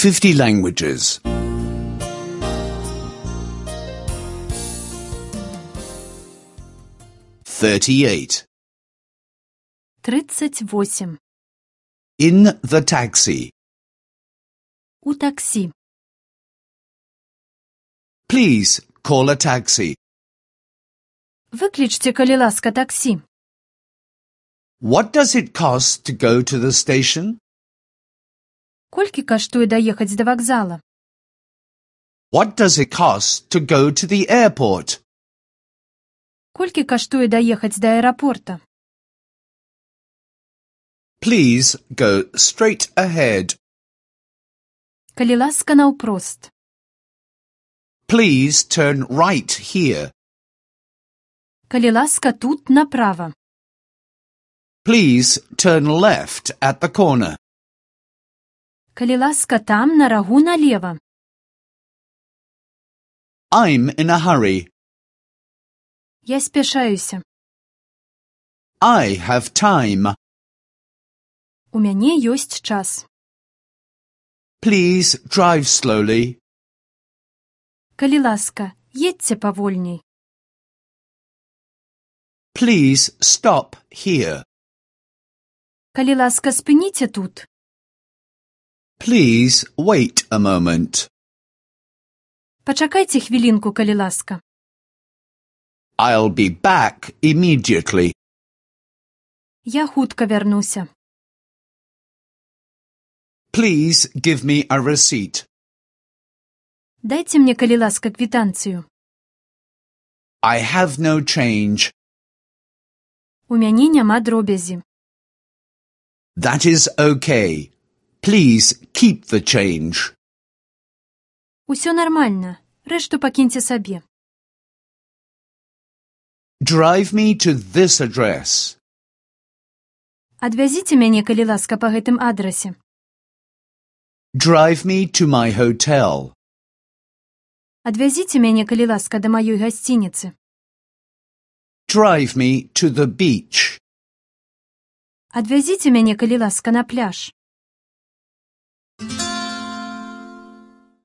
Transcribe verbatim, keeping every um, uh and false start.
fifty languages. thirty-eight. тридцать восемь. In the taxi. У такси. Please call a taxi. Выкличте, калі ласка, таксі. What does it cost to go to the station? Колькі каштуе даехаць да вакзала? What does it cost to go to the airport? Колькі каштуе даехаць да аэрапорта? Please go straight ahead. Калі ласка, наўпрост. Please turn right here. Калі ласка, тут направа. Please turn left at the corner. Калі ласка, там на рагу налева. I'm in a hurry. Я спяшаюся. I have time. У мяне ёсць час. Please drive slowly. Калі ласка, едьце павольней. Please stop here. Калі ласка, спыніце тут. Please wait a moment. Пачакайце хвілінку, калі ласка. I'll be back immediately. Я хутка вярнуся. Please give me a receipt. Дайце мне, калі ласка, квітанцыю. I have no change. У мяне няма дробязі. That is okay. Please keep the change. Усё нармальна. Рэшту пакіньце сабе. Drive me to this address. Адвязіце мяне, калі ласка, па гэтым адрасе. Drive me to my hotel. Адвязіце мяне, калі ласка, да маёй гасцініцы. Drive me to the beach. Адвязіце мяне, калі ласка, на пляж.